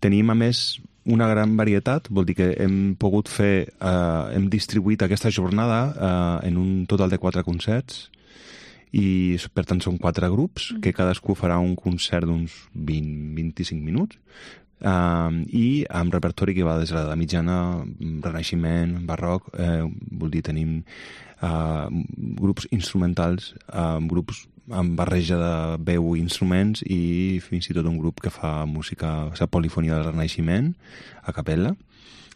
Tenim, a més, una gran varietat, vol dir que hem pogut fer, hem distribuït aquesta jornada en un total de 4 concerts, i per tant són 4 grups, que cadascú farà un concert d'uns 20-25 minuts, i amb repertori que va des de la mitjana, renaixement, barroc, vol dir, tenim grups instrumentals, grups amb barreja de veu i instruments, i fins i tot un grup que fa música, la polifonia del renaixement, a capella.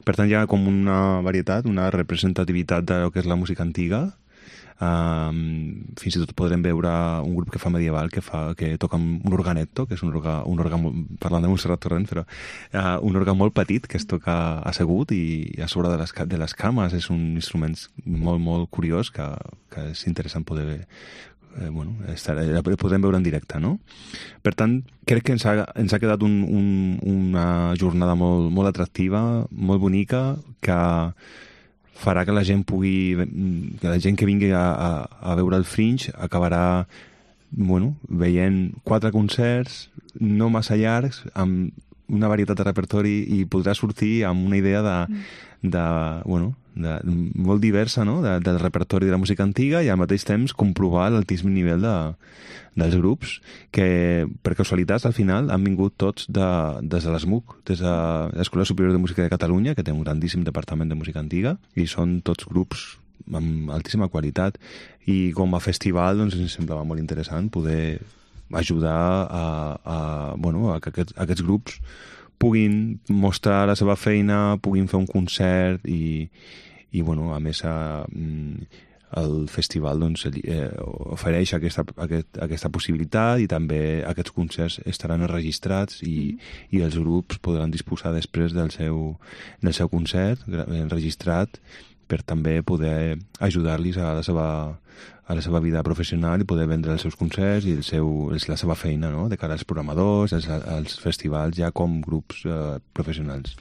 Per tant, hi ha com una varietat, una representativitat del que és la música antiga. Fins i tot podrem veure un grup que fa medieval, que toca un organetto, que és un òrgan, parlant de Montserrat Torrent, però un òrgan molt petit que es toca assegut i a sobre de les cames. És un instrument molt, molt curiós que és interessant poder podem veure en directe, no? Per tant, crec que ens ha quedat una jornada molt, molt atractiva, molt bonica, que farà que la gent que vingui a veure el Fringe acabarà veient 4 concerts no massa llargs, amb una varietat de repertori, i podrà sortir amb una idea molt diversa, no? Del repertori de la música antiga, i al mateix temps comprovar l'altíssim nivell dels grups, que per casualitats al final han vingut tots des de l'ESMUC, des de l'Escola Superior de Música de Catalunya, que té un grandíssim departament de música antiga, i són tots grups amb altíssima qualitat, i com a festival doncs ens semblava molt interessant poder ajudar a que aquests grups puguin mostrar la seva feina, puguin fer un concert, i a més el festival ofereix aquesta possibilitat, i també aquests concerts estaran enregistrats, i els grups podran disposar després del seu concert enregistrat, per també poder ajudar-los a la seva vida professional i poder vendre els seus concerts i la seva feina, no?, de cara als programadors, als festivals, ja com grups professionals.